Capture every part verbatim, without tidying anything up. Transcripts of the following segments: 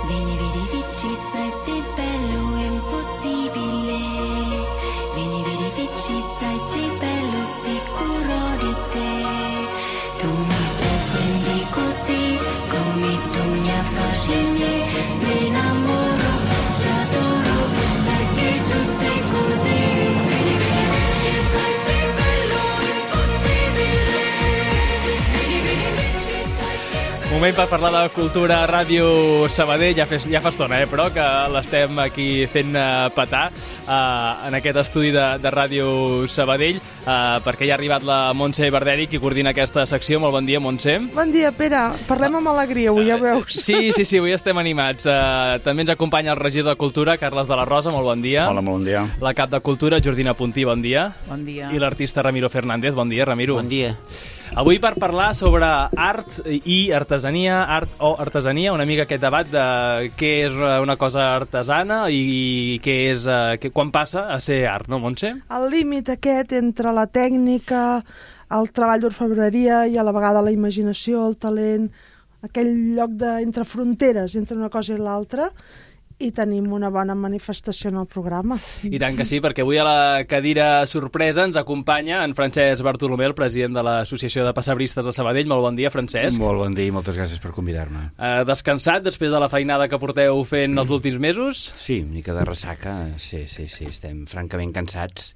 Vieni, vedi, vici, sai, sei bello, è impossibile. Vieni, vedi, vici, sai, sei bello, sicuro di te. Tu mi sorprendi così, come tu mi affascini. Mi innamoro, ti adoro, perché tu sei così. Vieni, vedi, vici, sai, sei bello, impossibile. Vieni, vedi, vici, sai, sei bello. Moment per parlar de cultura a Ràdio Sabadell. Ja, fes, ja fa estona, eh, però, que l'estem aquí fent uh, petar uh, en aquest estudi de, de Ràdio Sabadell, uh, perquè ja ha arribat la Montse Barderi, qui coordina aquesta secció. Molt bon dia, Montse. Bon dia, Pere. Parlem amb alegria, avui, ja veus. Sí, sí, sí, avui estem animats. Uh, també ens acompanya el regidor de Cultura, Carles de la Rosa. Molt bon dia. Hola, molt bon dia. La cap de Cultura, Jordina Puntí. Bon dia. Bon dia. I l'artista Ramiro Fernández. Bon dia, Ramiro. Bon dia. Avui per parlar sobre art i artesania, art o artesania, una mica aquest debat de què és una cosa artesana i què és, que, quan passa a ser art, no, Montse? El límit aquest entre la tècnica, el treball d'orfebreria i a la vegada la imaginació, el talent, aquell lloc de, entre fronteres, entre una cosa i l'altra, i tenim una bona manifestació en el programa. I tant que sí, perquè avui a la cadira sorpresa ens acompanya en Francesc Bartolomé, el president de l'Associació de Pessebristes de Sabadell. Molt bon dia, Francesc. Molt bon dia i moltes gràcies per convidar-me. Uh, descansat després de la feinada que porteu fent els últims mesos? Sí, una mica de ressaca, sí, sí, sí, estem francament cansats,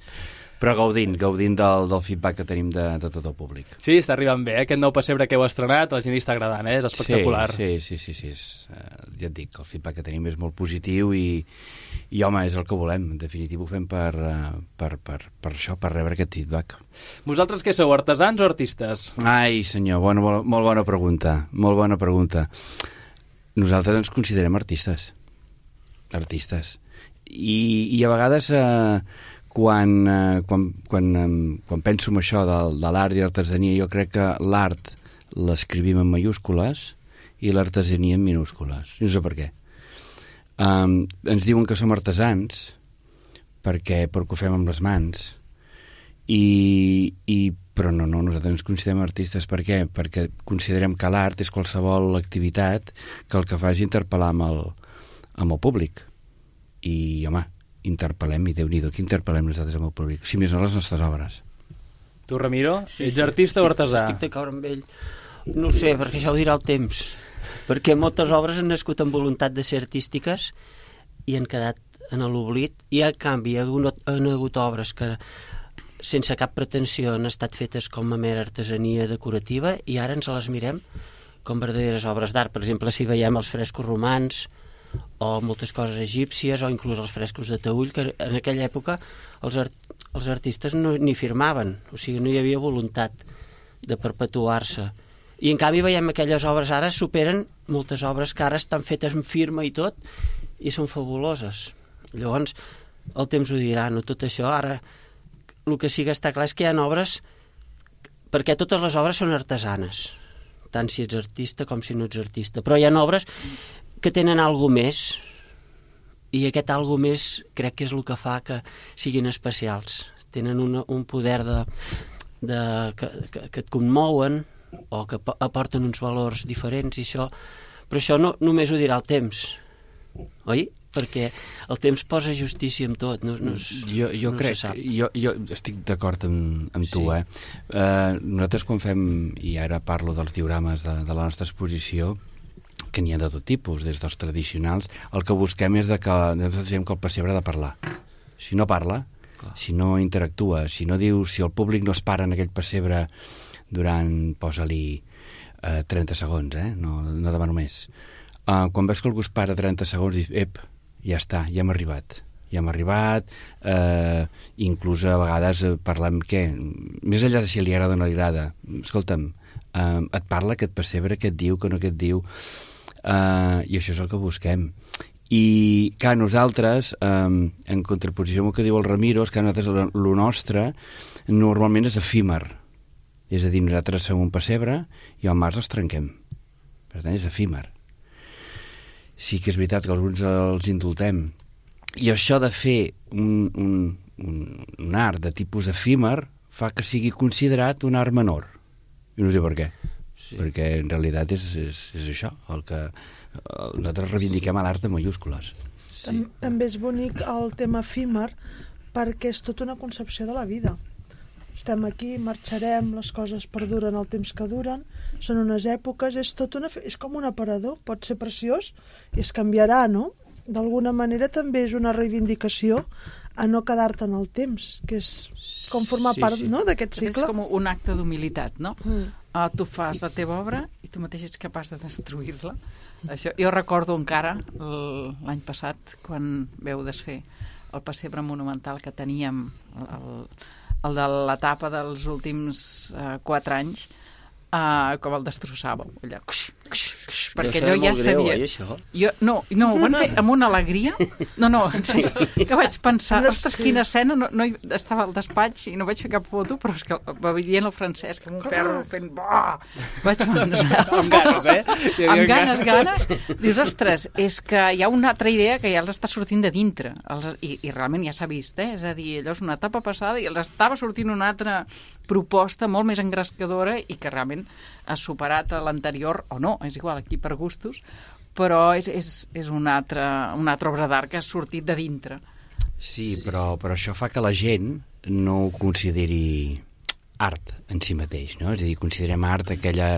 però gaudint, gaudint del, del feedback que tenim de, de tot el públic. Sí, està arribant bé, eh? Aquest nou pessebre que heu estrenat, a la gent hi està agradant, eh? És espectacular. Sí, sí, sí, sí, sí és, uh, ja et dic, el feedback que tenim és molt positiu i, i home, és el que volem. En definitiva ho fem per, uh, per, per, per això, per rebre aquest feedback. Vosaltres què sou, artesans o artistes? Ai, senyor, bona, molt, molt bona pregunta, molt bona pregunta. Nosaltres ens considerem artistes, artistes. I, i a vegades... Uh, Quan, eh, quan, quan, eh, quan penso en això de, de l'art i l'artesania, jo crec que l'art l'escrivim en mayúscules i l'artesania en minúscules. No sé per què. Um, ens diuen que som artesans perquè, perquè ho fem amb les mans, i, i, però no, no, nosaltres ens considerem artistes. Per què? Perquè considerem que l'art és qualsevol activitat que el que fa és interpel·lar amb el, amb el públic. I, home, interpel·lem, i Déu-n'hi-do, que interpel·lem nosaltres amb el públic, si més no les nostres obres. Tu, Ramiro, Sí, ets sí, artista o artesà? Estic d'acord amb ell. No ho sé, perquè això ho dirà el temps. Perquè moltes obres han nascut amb voluntat de ser artístiques i han quedat en l'oblit, i a canvi hi ha hagut, han hagut obres que sense cap pretensió han estat fetes com a mera artesania decorativa, i ara ens les mirem com verdaderes obres d'art. Per exemple, si veiem els frescos romans o moltes coses egípcies, o inclús els frescos de Taüll, que en aquella època els, art els artistes no, ni firmaven, o sigui, no hi havia voluntat de perpetuar-se. I en canvi veiem aquelles obres ara superen moltes obres que ara estan fetes amb firma i tot, i són fabuloses. Llavors, el temps ho dirà, no tot això. Ara, el que sí que està clar és que hi ha obres, perquè totes les obres són artesanes, tant si ets artista com si no ets artista, però hi ha obres que tenen alguna més, i aquest alguna més crec que és el que fa que siguin especials. Tenen una, un poder de, de, que, que, que et commouen, o que aporten uns valors diferents, i això, però això no, només ho dirà el temps, oi? Perquè el temps posa justícia en tot. No, no, jo jo no crec, jo, jo estic d'acord amb, amb tu, sí. eh? Uh, nosaltres quan fem, i ara parlo dels diorames de, de la nostra exposició, que n'hi ha de tot tipus, des dels tradicionals, el que busquem és de que, nosaltres diem que el pessebre ha de parlar. Si no parla, clar, si no interactua, si no diu, si el públic no es para en aquell pessebre durant, posa-li, eh, trenta segons, eh? No, no demano més. Uh, quan veus que algú es para trenta segons, dius, ep, ja està, ja hem arribat. Ja hem arribat, eh, inclús a vegades eh, parlem, què? Més enllà de si li agrada o no li agrada, escolta'm, eh, et parla aquest pessebre, què et diu, que no què et diu, eh, i això és el que busquem. I que nosaltres, eh, en contraposició amb el que diu el Ramiro, és que nosaltres, el nostre normalment és efímer, és a dir, nosaltres som un pessebre i al març els trenquem, per tant és efímer. Sí que és veritat que alguns els indultem, i això de fer un, un, un, un art de tipus efímer fa que sigui considerat un art menor. I no sé per què. sí. perquè en realitat és, és, és això, el que nosaltres reivindiquem a l'art de mayúscules. Sí. També és bonic el tema efímer, perquè és tota una concepció de la vida. Estem aquí, marxarem, les coses perduren el temps que duren, són unes èpoques, és tot una, és com un aparador, pot ser preciós i es canviarà, no? D'alguna manera també és una reivindicació a no quedar-te en el temps, que és com formar sí, part sí. no, d'aquest cicle. És com un acte d'humilitat, no? Mm. Uh, tu fas la teva obra i tu mateix ets capaç de destruir-la. Això, jo recordo encara l'any passat, quan veu desfer el pessebre monumental que teníem, el, el de l'etapa dels últims uh, quatre anys, uh, com el destrossàveu, allà, cuix, cuix, cuix, perquè allò ja sabia... Greu, eh, això? Jo, no, no, ho van fer amb una alegria, no, no, sí, que vaig pensar, ostres, quina escena, no, no hi, estava al despatx i no vaig fer cap foto, però és que va veient el Francesc amb un ferro fent... Bah! Vaig pensar... amb ganes, eh? Amb ganes, ganes. Dius, ostres, és que hi ha una altra idea que ja els està sortint de dintre, els, i, i realment ja s'ha vist, eh? És a dir, allò és una etapa passada i els estava sortint una altra proposta molt més engrescadora i que realment ha superat a l'anterior, o no, és igual, aquí per gustos, però és, és, és una altra, una altra obra d'art que ha sortit de dintre. Sí, però, però això fa que la gent no ho consideri art en si mateix, no? És a dir, considerem art aquella,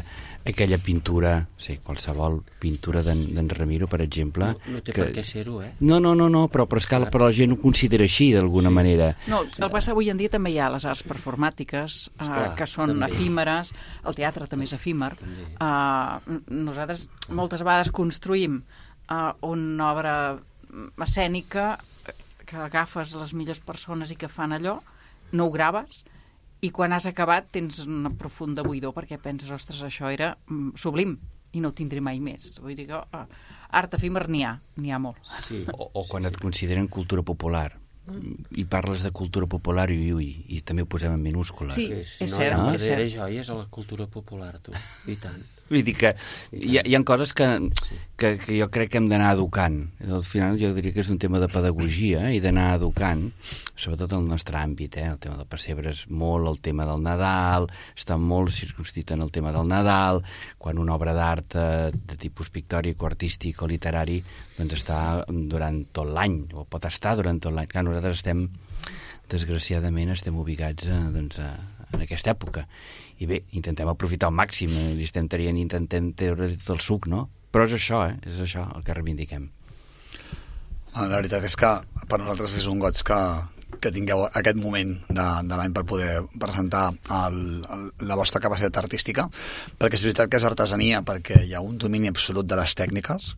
aquella pintura, sí, qualsevol pintura d'en Ramiro, per exemple... No, no té que... per què ser-ho, eh? No, no, no, no però, però, escala, però la gent ho considera així, d'alguna sí. manera. No, el que passa avui en dia també hi ha les arts performàtiques, Esclar, uh, que són també. efímeres, el teatre també és efímer. Uh, nosaltres moltes vegades construïm uh, una obra escènica que agafes les millors persones i que fan allò, no ho graves, i quan has acabat tens una profunda buidor perquè penses, ostres, això era mm, sublim i no ho tindré mai més. Vull dir que oh, art efímer n'hi ha, n'hi ha molt. Sí. O, o quan et consideren cultura popular i parles de cultura popular i, ui, i també ho posem en minúscules. Sí, sí, és no, cert. No, és cert. joies a la cultura popular, tu, i tant. Vull dir que hi ha, hi ha coses que, que, que jo crec que hem d'anar educant. Al final jo diria que és un tema de pedagogia i d'anar educant, sobretot en el nostre àmbit. Eh? El tema del pessebre és molt el tema del Nadal, està molt circumscrit en el tema del Nadal, quan una obra d'art eh, de tipus pictòric o artístic o literari doncs està durant tot l'any, o pot estar durant tot l'any. Clar, nosaltres estem, desgraciadament, estem ubicats a, doncs, a, en aquesta època. I bé, intentem aprofitar al màxim, li estem traient, intentem treure tot el suc, no? Però és això, eh? És això el que reivindiquem. La veritat és que per nosaltres és un goig que, que tingueu aquest moment de, de l'any per poder presentar el, el, la vostra capacitat artística, perquè és veritat que és artesania, perquè hi ha un domini absolut de les tècniques,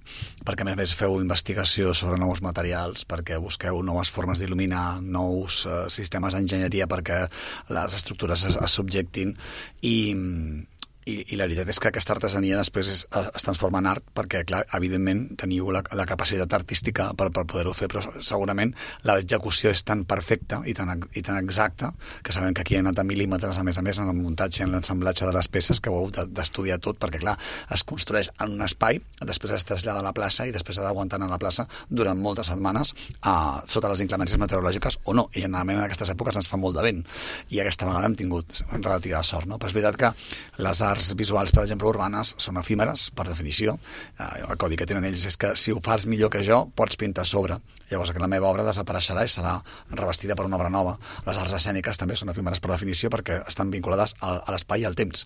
perquè a més a més feu investigació sobre nous materials, perquè busqueu noves formes d'il·luminar, nous uh, sistemes d'enginyeria perquè les estructures es, es subjectin i... I, i la veritat és que aquesta artesania després es, es transforma en art perquè, clar, evidentment teniu la, la capacitat artística per, per poder-ho fer, però segurament l'execució és tan perfecta i tan, i tan exacta que sabem que aquí ha anat a mil·límetres, a més a més, en el muntatge i en l'ensamblatge de les peces, que ho heu d'estudiar tot, perquè, clar, es construeix en un espai, després es trasllada a la plaça i després ha d'aguantar a la plaça durant moltes setmanes uh, sota les inclemències meteorològiques o no, i generalment en aquestes èpoques ens fa molt de vent, i aquesta vegada hem tingut relativa sort, no? Però és veritat que les arts visuals, per exemple, urbanes, són efímeres, per definició. El codi que tenen ells és que si ho fas millor que jo, pots pintar a sobre. Llavors, que la meva obra desapareixerà i serà revestida per una obra nova. Les arts escèniques també són efímeres per definició perquè estan vinculades a, a l'espai i al temps.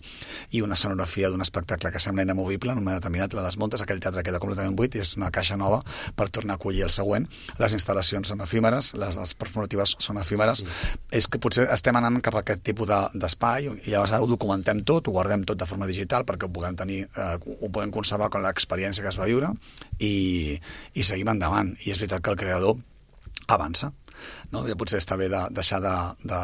I una escenografia d'un espectacle que sembla inamovible, en un moment determinat la desmuntes, aquell teatre queda completament buit i és una caixa nova per tornar a acollir el següent. Les instal·lacions són efímeres, les, les performatives són efímeres. Sí. És que potser estem anant cap a aquest tipus d'espai i llavors ara ho documentem tot, ho guardem tot de forma digital perquè ho puguem tenir, eh, ho puguem conservar com l'experiència que es va viure i, i seguim endavant. I és veritat que el creador avança. No? Ja potser està bé de deixar de, de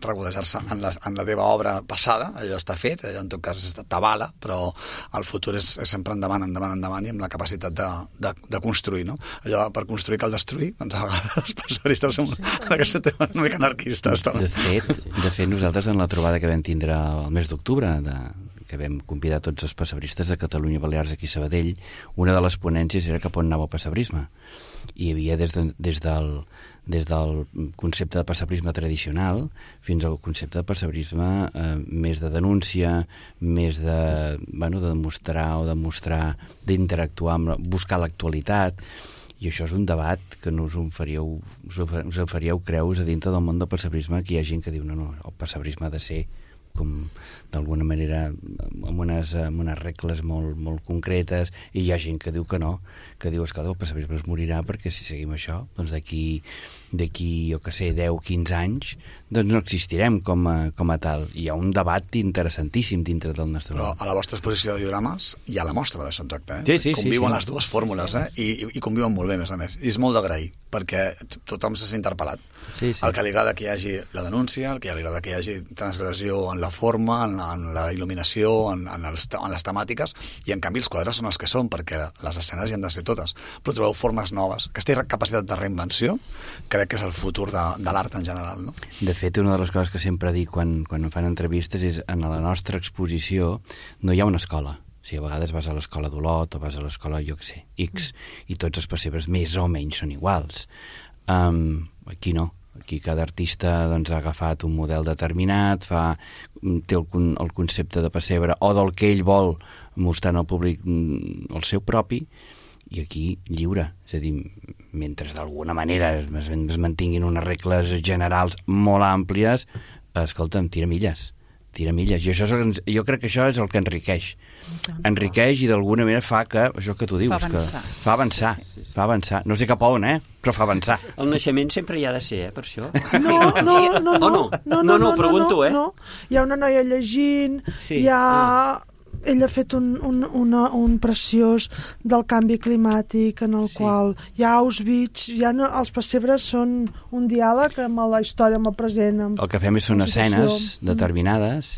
regodejar-se en, la, en la teva obra passada, allò està fet, allò en tot cas t'avala, però el futur és, és sempre endavant, endavant, endavant i amb la capacitat de, de, de construir, no? Allò per construir cal destruir, doncs a vegades els passaristes som en aquest tema una mica anarquistes. De fet, de fet, nosaltres en la trobada que vam tindre el mes d'octubre de que vam convidar tots els pessebristes de Catalunya Balears aquí a Sabadell, una de les ponències era cap on anava el pessebrisme. Hi havia des, de, des, del, des del concepte de pessebrisme tradicional fins al concepte de pessebrisme eh, més de denúncia, més de, bueno, de demostrar o demostrar, d'interactuar, amb, buscar l'actualitat, i això és un debat que no us en faríeu, us en faríeu creus a dintre del món del pessebrisme, que hi ha gent que diu no, no, el pessebrisme ha de ser com d'alguna manera amb unes, amb unes regles molt, molt concretes, i hi ha gent que diu que no, que diu, escolta, el pessebrisme es morirà perquè si seguim això, doncs d'aquí d'aquí, jo que sé, deu o quinze anys doncs no existirem com a, com a tal. Hi ha un debat interessantíssim dintre del nostre Però món. a la vostra exposició de diorames hi ha la mostra d'això exacte, eh? Sí, sí, conviuen sí, sí. les dues fórmules, eh? I, i conviuen molt bé, a més a més. I és molt d'agrair, perquè tothom se sent interpel·lat. Sí, sí. El que li agrada que hi hagi la denúncia, el que li agrada que hi hagi transgressió en la forma, en la, en la il·luminació, en, en, els, en les temàtiques, i en canvi els quadres són els que són, perquè les escenes hi han de ser totes. Però trobeu formes noves. Aquesta capacitat de reinvenció crec que és el futur de, de l'art en general, no? De fet, una de les coses que sempre dic quan, quan em fan entrevistes és en la nostra exposició no hi ha una escola. O sigui, a vegades vas a l'escola d'Olot o vas a l'escola, jo què sé, X, i tots els pessebres més o menys són iguals. Um, aquí no. Aquí cada artista doncs, ha agafat un model determinat, fa, té el, el concepte de pessebre o del que ell vol mostrar al públic el seu propi, i aquí lliure. És a dir, mentre d'alguna manera es, es mantinguin unes regles generals molt àmplies, escolta'm, tira milles. Tira milles. I això és el, jo crec que això és el que enriqueix. Enriqueix i d'alguna manera fa que, això que tu dius, fa avançar. Que fa avançar, sí, sí, sí. fa avançar. No sé cap a on, eh? Però fa avançar. El naixement sempre hi ha de ser, eh, per això. No, no, no, no, no, no, no, no, pregunto, eh? No. Hi ha una noia llegint, sí. hi ha... Ah. Ell ha fet un, un, una, un preciós del canvi climàtic en el sí. qual hi ha Auschwitz, ja no, els pessebres són un diàleg amb la història, amb el present. Amb el que fem és són escenes determinades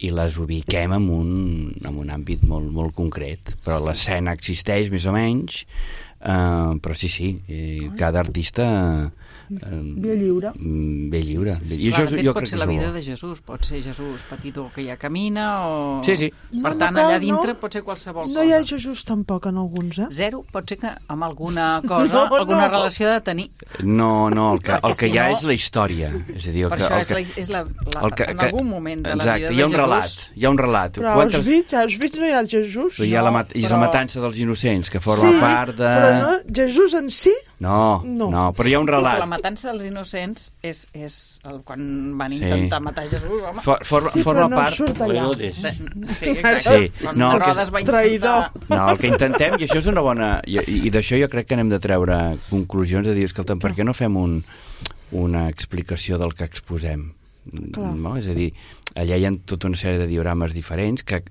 i les ubiquem en un, en un àmbit molt, molt concret, però l'escena existeix més o menys, eh, però sí, sí, cada artista... Ve lliure. Ve lliure. I Clar, això, de fet, jo pot crec ser que la vida bo. de Jesús, pot ser Jesús petitó que ja camina o... Sí, sí. Per No, tant, no cal, allà dintre no. pot ser qualsevol No cosa. hi ha Jesús tampoc en alguns, eh? Zero pot ser que amb alguna cosa, No, alguna no. relació de tenir. No, no, el que, el Perquè que si hi ha no- és la història. És a dir, el Per que, això el és, que, la, és la, la, el que, en algun moment de la exacte, vida hi ha de un Jesús... relat, hi ha un relat. Però a Quantes- Auschwitz, a Auschwitz no hi ha Jesús. Però hi ha la, mat i és la però- matança dels innocents, que forma Sí, part de... però no, Jesús en si... No, No. no, però hi ha un La relat. matança dels innocents és, és el, quan van Sí. intentar matar Jesús, home. For, for, Sí, forma però no part... surt allà. De- Sí, exacte. Sí, Quan no, el que- Herodes va Traïdor. intentar... No, el que intentem, i això és una bona... I, i d'això jo crec que anem de treure conclusions, de dir, escolta'm, per què no fem un, una explicació del que exposem? Clar. No? És a dir, allà hi ha tota una sèrie de diorames diferents que,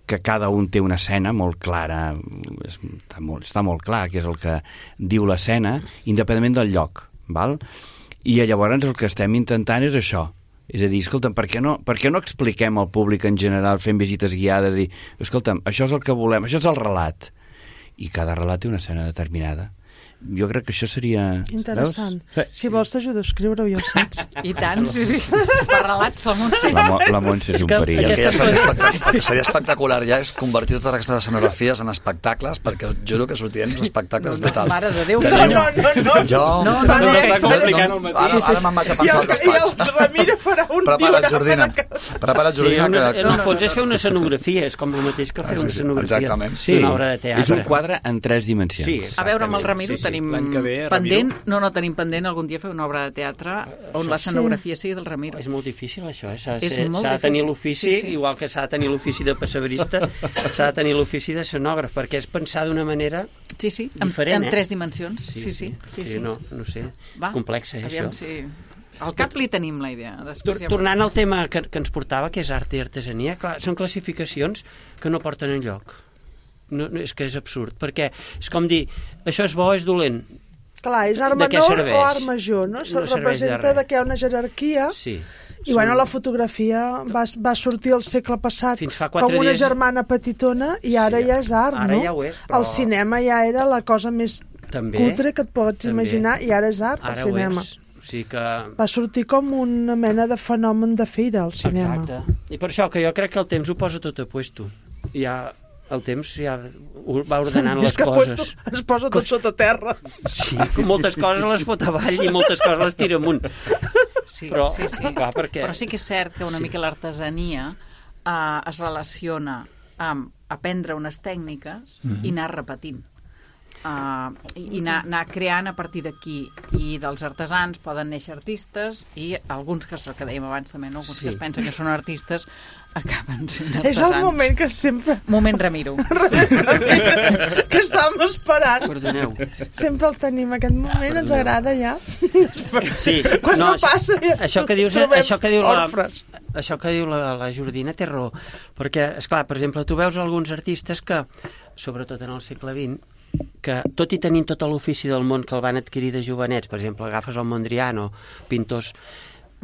que cada un té una escena molt clara, és, està, molt, està molt clar que és el que diu l'escena, independentment del lloc, val? I llavors el que estem intentant és això, és a dir, escolta'm, per què no, per què no expliquem al públic en general, fent visites guiades, dir, escolta'm, això és el que volem, això és el relat, i cada relat té una escena determinada. Jo crec que això seria... Interessant. Veus? Si vols t'ajudo a escriure-ho, ja ho saps. I tant, sí, sí. Per relats, la Montse. La, Mo- la Montse és un que perill. I el que ja Aquestes seria, coses- espectac- el que seria espectacular ja és convertir totes aquestes escenografies en espectacles, perquè us juro que sortirien uns espectacles brutals. Mare de Déu, Tenim- senyor. no, no. Jo... No, no, no, no, complicant no, el matí. ara, ara me'n vaig a I pensar el, al I el despatx. Ramiro farà un Prepara't, diorama Jordina. de- Prepara't, Sí, Jordina, una, que... en el fons és fer una escenografia, és com el mateix que fer Ah, sí, una sí, escenografia exactament. Sí, d'una obra de teatre. és un quadre en tres dimensions. Sí, A veure, amb el Ramiro Sí, sí. tenim L'any que ve, pendent, Ramiro. no, no tenim pendent algun dia fer una obra de teatre on l'escenografia sigui del Ramiro. És molt difícil, això, eh? S'ha de, És ser- molt s'ha de tenir difícil. l'ofici, Sí, sí. igual que s'ha de tenir l'ofici de pessebrista, s'ha de tenir l'ofici de escenògraf, perquè és pensar d'una manera Sí, sí, en, diferent, en eh? tres dimensions. Sí, sí, sí. sí, No, no sé, Va, és complex, eh, aviam això. si... Al cap li tenim la idea. Tor Després ja... Tornant al tema que, que ens portava, que és art i artesania, clar, són classificacions que no porten enlloc. No, no, és que és absurd, perquè és com dir, això és bo, és dolent. Clar, és art De què menor serveix? o art major, no? Se No serveix de representa res. de que hi ha una jerarquia. Sí. I bueno, la fotografia va, va sortir el segle passat Fins fa quatre com una dies- germana petitona i ara Sí, ja és art, ara no? ja ho és, però- El cinema ja era la cosa més També, cutre que et pots també. imaginar i ara és art, Ara el cinema. ho és. O sigui que... Va sortir com una mena de fenomen de fira al cinema. Exacte. I per això que jo crec que el temps ho posa tot a puesto. Ja, el temps ja va ordenant les coses. És que es posa tot sota terra. Sí, moltes coses les fot avall i moltes coses les tira amunt. Sí, però, sí, sí. Clar, perquè... però sí que és cert que una sí. mica l'artesania eh, es relaciona amb aprendre unes tècniques mm-hmm. i anar repetint. Uh, i anar, anar creant a partir d'aquí, i dels artesans poden néixer artistes, i alguns que, que dèiem abans també, no? Alguns sí. que es pensen que són artistes acaben sent artesans. És el moment que sempre... Moment Ramiro. que estàvem esperant. Perdoneu. Sempre el tenim, aquest moment. Perdoneu. Ens agrada ja. Sí. Quan no, no això, passa ja això que dius, això que diu la, orfres. Això que diu la, la Jordina té raó, perquè, esclar, per exemple, tu veus alguns artistes que, sobretot en el segle vint, que tot i tenint tot l'ofici del món que el van adquirir de jovenets, per exemple, agafes el Mondrian o pintors,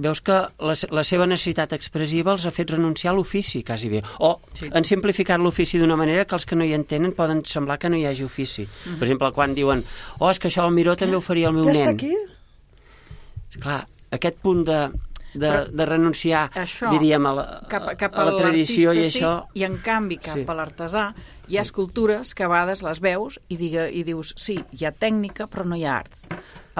veus que la, la seva necessitat expressiva els ha fet renunciar a l'ofici, quasi bé. O sí. han simplificat l'ofici d'una manera que els que no hi entenen poden semblar que no hi hagi ofici. Mm-hmm. Per exemple, quan diuen, oh, és que això el Miró també ho faria el meu ja nen. Ja està aquí? Esclar, aquest punt de... De, de renunciar, això, diríem, a la, cap, cap a la tradició i sí, això... I en canvi, cap sí. a l'artesà, hi ha escultures que a vegades les veus i, diga, i dius, sí, hi ha tècnica, però no hi ha art.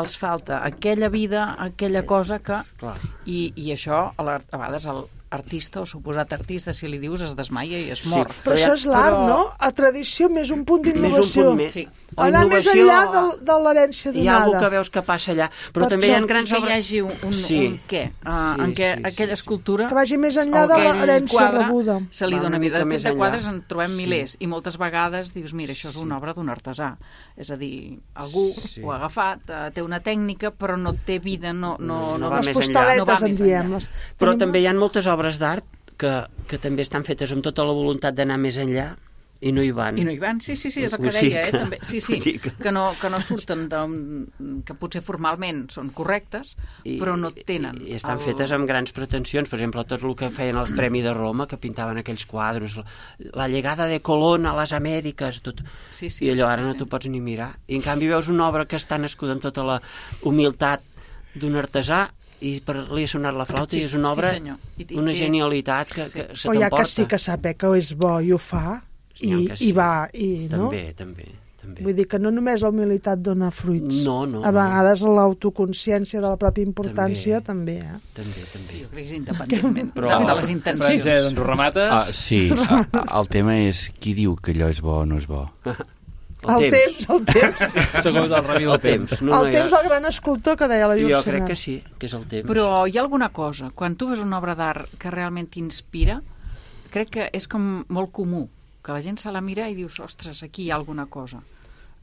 Els falta aquella vida, aquella cosa que... Clar. I, i això, a, la, a vegades, el artista o suposat artista, si li dius, es desmaia i es mor. Sí, però això és l'art, però... no? A tradició més un punt d'innovació. Més un punt més. Sí. Anar més enllà de, de l'herència donada. Hi ha algú que veus que passa allà, però per també això, hi ha grans que obres... hi hagi un, un, sí. un què, uh, sí, en què sí, aquella sí, escultura... Que vagi més enllà de l'herència rebuda. Se li Va dona una vida. mica De més fet, de enllà. quadres en trobem Sí. milers, i moltes vegades dius, mira, això és una obra d'un artesà. És a dir, algú Sí. ho ha agafat, uh, té una tècnica, però no té vida, no... no, No no, va Les més enllà. postaletes, No va en més diem. enllà. Les... Però Tenim... també hi ha moltes obres d'art que, que també estan fetes amb tota la voluntat d'anar més enllà i no hi van. I no hi van, sí, sí, sí, és el que O sigui deia, eh, que- també. Sí, sí, que- que no, que no surten de, que potser formalment són correctes, I, però no tenen... I, i estan el... fetes amb grans pretensions. Per exemple, tot el que feien el Premi de Roma, que pintaven aquells quadros, la, la llegada de Colón a les Amèriques, tot. Sí, sí, I allò ara sí, no sí. t'ho pots ni mirar. I en canvi veus una obra que està nascuda amb tota la humilitat d'un artesà i per li ha sonat la flauta Sí, i és una obra, sí, senyor. I- i una té- genialitat que, Sí. que se Però hi ha t'emporta. que sí que saber que és bo i ho fa, i, N'hi ha que sí. i va, i no? També, també, també. Vull dir que no només la humilitat dona fruits. No, no, A vegades l'autoconsciència de la pròpia importància també, També. eh? També, també. Jo crec que és independentment Però- de les intencions. Francesc, doncs ho remates. Ah, sí, a, a, el tema és qui diu que allò és bo o no és bo. El temps, el temps. Segons el Rami del El temps. temps. No, no, el hi ha- temps del gran escultor que deia la Jo Llucena. crec que sí, que és el temps. Però hi ha alguna cosa, quan tu veus una obra d'art que realment t'inspira, crec que és com molt comú, que la gent se la mira i dius, ostres, aquí hi ha alguna cosa.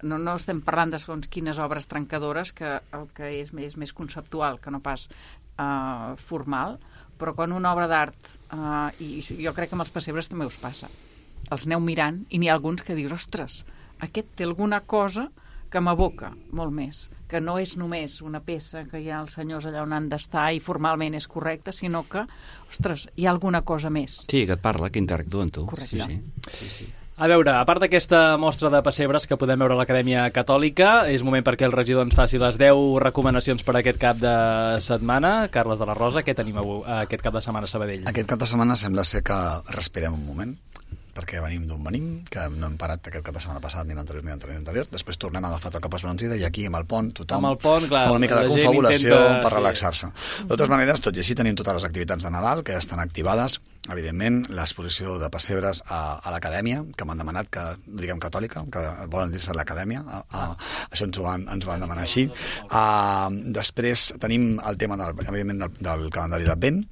No, no estem parlant de segons quines obres trencadores, que el que és més, més conceptual que no pas uh, formal, però quan una obra d'art, uh, i jo crec que amb els pessebres també us passa, els aneu mirant i n'hi ha alguns que dius, ostres, aquest té alguna cosa que m'aboca molt més, que no és només una peça que hi ha els senyors allà on han d'estar i formalment és correcta, sinó que, ostres, hi ha alguna cosa més. Sí, que et parla, que interactua amb tu. Correcte. Sí, sí. A veure, a part d'aquesta mostra de pessebres que podem veure a l'Acadèmia Catòlica, és moment perquè el regidor ens faci les deu recomanacions per aquest cap de setmana. Carles de la Rosa, què tenim avui, aquest cap de setmana a Sabadell? Aquest cap de setmana sembla ser que respirem un moment, perquè venim d'on venim, que no hem parat aquest cap de setmana passat, ni l'anterior, ni l'anterior, ni l'anterior. Després tornem a agafar el cap esbalancida i aquí, amb el pont, tothom Amb el pont, clar, fa una mica de la gent confabulació intenta- per sí. relaxar-se. De totes maneres, tot i així, tenim totes les activitats de Nadal que ja estan activades. Evidentment, l'exposició de pessebres a, a l'Acadèmia, que m'han demanat que, diguem catòlica, que volen dir-se l'Acadèmia, a, a, això ens ho van, ens ho van demanar així. Uh, després tenim el tema, del, evidentment, del, del calendari d'Advent,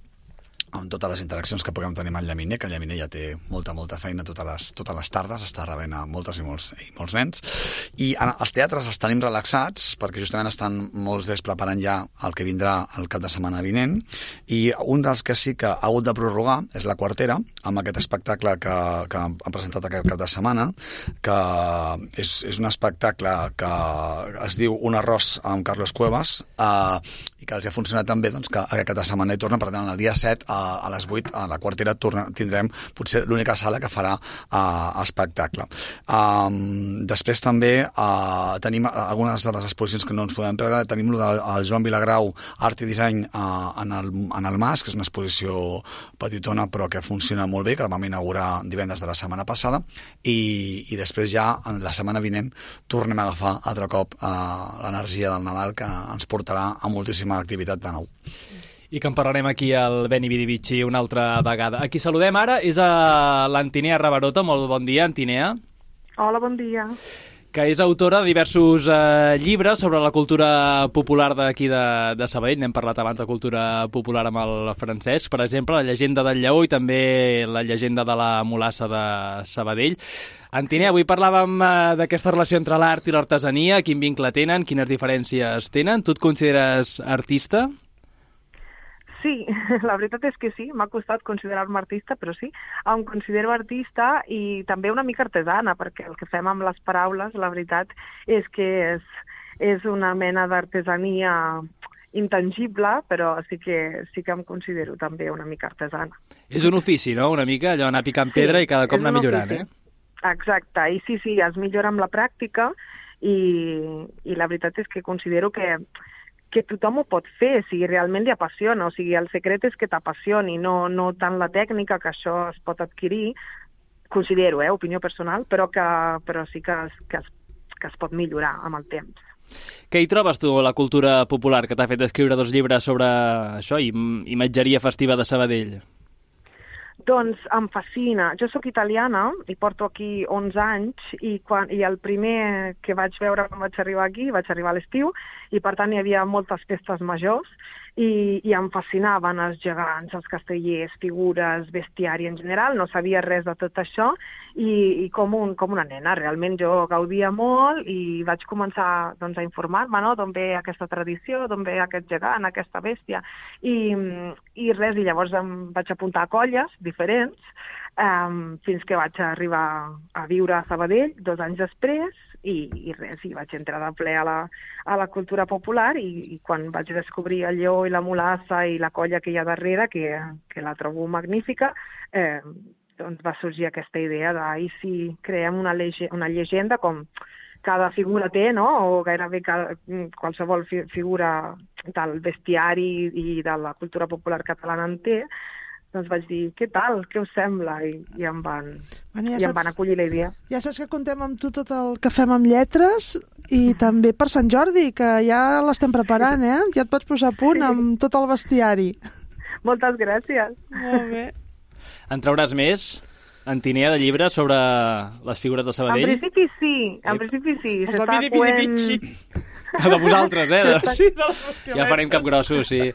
amb totes les interaccions que puguem tenir amb el Llaminer, que el Llaminer ja té molta, molta feina totes les, totes les tardes, està rebent a moltes i molts, i molts nens. I en els teatres els tenim relaxats, perquè justament estan molts d'ells preparant ja el que vindrà el cap de setmana vinent, i un dels que sí que ha hagut de prorrogar és La Quartera, amb aquest espectacle que, que han presentat aquest cap de setmana, que és, és un espectacle que es diu Un arròs amb Carlos Cuevas, eh, i que els ha funcionat tan bé doncs, que aquest cap de setmana hi tornen, per tant, el dia set a a les vuit a la Quartera torna, tindrem potser l'única sala que farà uh, espectacle. Um, després també uh, tenim algunes de les exposicions que no ens podem perdre. Tenim el del Joan Vilagrau, Art i Disseny uh, en, el, en el Mas, que és una exposició petitona però que funciona molt bé, que la vam inaugurar divendres de la setmana passada, i, i després ja en la setmana vinent tornem a agafar altre cop uh, l'energia del Nadal, que ens portarà a moltíssima activitat de nou. I que en parlarem aquí al Beni Vidi Vici una altra vegada. A qui saludem ara és a l'Antinea Rabarota. Molt bon dia, Antinea. Hola, bon dia. Que és autora de diversos eh, llibres sobre la cultura popular d'aquí de, de Sabadell. N'hem parlat abans de cultura popular amb el Francesc. Per exemple, la llegenda del lleó i també la llegenda de la mulassa de Sabadell. Antinea, avui parlàvem eh, d'aquesta relació entre l'art i l'artesania, quin vincle tenen, quines diferències tenen. Tu et consideres artista? Sí, la veritat és que sí, m'ha costat considerar-me artista, però sí, em considero artista i també una mica artesana, perquè el que fem amb les paraules, la veritat és que és, és una mena d'artesania intangible, però sí que, sí que em considero també una mica artesana. És un ofici, no?, una mica, allò anar picant pedra sí, i cada cop anar millorant, ofici. eh? Exacte, i sí, sí, es millora amb la pràctica i, i la veritat és que considero que que tothom ho pot fer, si realment li apassiona. O sigui, el secret és que t'apassioni, no, no tant la tècnica, que això es pot adquirir, considero, eh, opinió personal, però, que, però sí que es, que, es, que es pot millorar amb el temps. Què hi trobes tu, la cultura popular, que t'ha fet escriure dos llibres sobre això, imatgeria festiva de Sabadell? Doncs em fascina. Jo sóc italiana i porto aquí onze anys i, quan, i el primer que vaig veure quan vaig arribar aquí, vaig arribar a l'estiu, i per tant hi havia moltes festes majors i, i em fascinaven els gegants, els castellers, figures, bestiari en general. No sabia res de tot això i, i com, un, com una nena. Realment jo gaudia molt i vaig començar doncs, a informar-me, no?, d'on ve aquesta tradició, d'on ve aquest gegant, aquesta bèstia. I, i res, i llavors em vaig apuntar a colles diferents um, fins que vaig arribar a viure a Sabadell dos anys després. I, i res, i vaig entrar de ple a la, a la cultura popular i, i quan vaig descobrir el lleó i la mulassa i la colla que hi ha darrere, que, que la trobo magnífica, eh, doncs va sorgir aquesta idea de i si creem una, lege, una llegenda com cada figura té, no?, o gairebé cada, qualsevol fi, figura del bestiari i de la cultura popular catalana en té, doncs vaig dir, què tal, què us sembla? I, i, em, van, bueno, ja i saps, em van acollir la idea. Ja saps que contem amb tu tot el que fem amb lletres i també per Sant Jordi, que ja l'estem preparant, eh? Ja et pots posar a punt sí. amb tot el bestiari. Moltes gràcies. Molt bé. En trauràs més, Antinea, de llibres sobre les figures de Sabadell? En principi sí, en principi sí. Els de Vidi Vidi Vici. De vosaltres, eh? De... Sí, de ja farem cap grossos, sí.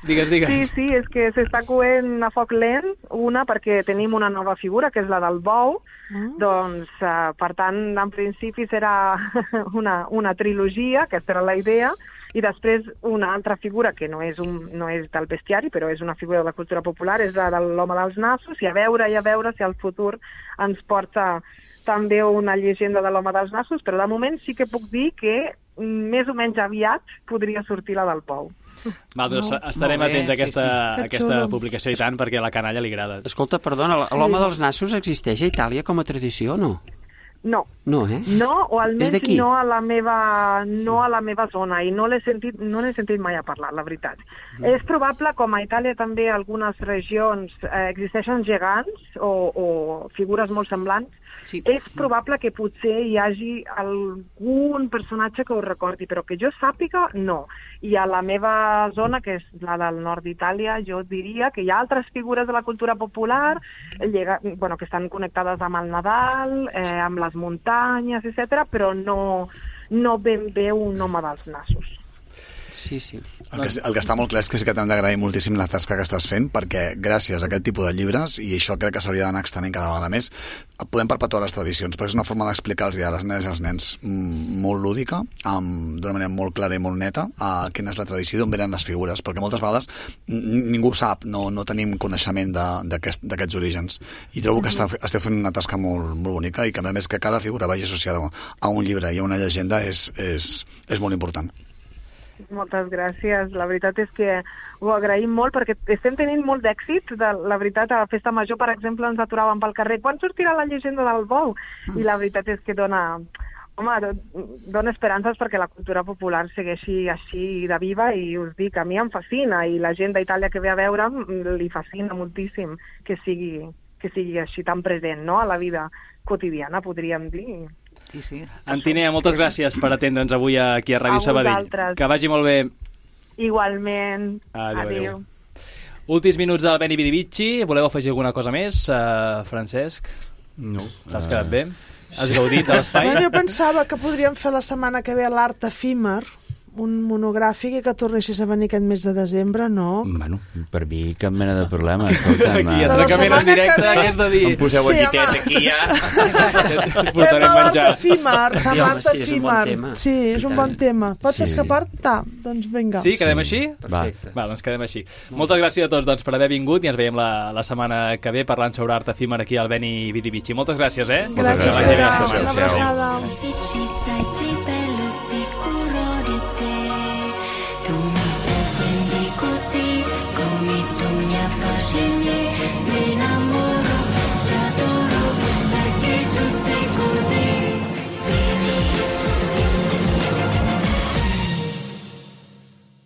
Digues, digues. Sí, sí, és que s'està coent a foc lent, una perquè tenim una nova figura, que és la del bou, mm. doncs, uh, per tant, en principi serà una, una trilogia, aquesta era la idea, i després una altra figura que no és, un, no és del bestiari, però és una figura de la cultura popular, és la de l'home dels nassos, i a veure i a veure si el futur ens porta també una llegenda de l'home dels nassos, però de moment sí que puc dir que més o menys aviat podria sortir la del pou. Val, doncs no, estarem atents a aquesta, sí, sí. aquesta publicació i tant, perquè a la canalla li agrada. Escolta, perdona, l'home dels nassos existeix a Itàlia com a tradició o no? No. No, eh? No, o almenys no a la meva, no a la meva zona, i no l'he sentit, no n'he sentit mai a parlar, la veritat. Mm. És probable, com a Itàlia també algunes regions eh, existeixen gegants o, o figures molt semblants, sí. És probable que potser hi hagi algun personatge que ho recordi, però que jo sàpiga, no. I a la meva zona, que és la del nord d'Itàlia, jo diria que hi ha altres figures de la cultura popular llega, bueno, que estan connectades amb el Nadal, eh, amb les muntanyes, etcètera, però no, no ben bé un home dels nassos. Sí, sí. El que, el que està molt clar és que sí que t'hem d'agrair moltíssim la tasca que estàs fent, perquè gràcies a aquest tipus de llibres, i això crec que s'hauria d'anar extenent cada vegada més, podem perpetuar les tradicions, perquè és una forma d'explicar-los a les nenes i als nens molt lúdica, d'una manera molt clara i molt neta, a quina és la tradició i d'on venen les figures, perquè moltes vegades ningú sap, no, no tenim coneixement d'aquests aquest, orígens. I trobo que mm-hmm. esteu fent una tasca molt, molt bonica i que a més que cada figura vagi associada a un llibre i a una llegenda és, és, és molt important. Moltes gràcies. La veritat és que ho agraïm molt perquè estem tenint molt d'èxit. De, la veritat, a la Festa Major, per exemple, ens aturàvem pel carrer. Quan sortirà la llegenda del bou? Mm. I la veritat és que dona, home, dona esperances perquè la cultura popular segueixi així de viva i us dic, a mi em fascina i la gent d'Itàlia que ve a veure'm li fascina moltíssim que sigui, que sigui així tan present, no?, a la vida quotidiana, podríem dir. Sí, sí. Antinea, moltes gràcies per atendre'ns avui aquí a Ràdio Sabadell. Que vagi molt bé. Igualment. Adéu. Adéu. Últims minuts del Beni Vidi Vici. Voleu afegir alguna cosa més, uh, Francesc? No. T'has quedat bé? Has gaudit de l'espai? Bueno, jo pensava que podríem fer la setmana que ve l'art efímer, un monogràfic, i que tornessis a venir aquest mes de desembre, no? Bueno, per mi cap mena de problema. Escolta'm, aquí, atracament en directe, que és de dir... Em poseu sí, guantitets aquí, ja. Portarem menjar. Efímer, sí, l'art sí, és un bon efímer. tema. Sí, és un bon tema. Pots Sí. escapar-te? Doncs vinga. Sí, quedem així? Va. Va, doncs quedem així. Moltes gràcies a tots doncs, per haver vingut i ens veiem la, la setmana que ve parlant sobre art efímer aquí al Beni Vidi Vici. Moltes gràcies, eh? Gràcies, Moltes gràcies. Pere. Gràcies. Una abraçada. Che ci sei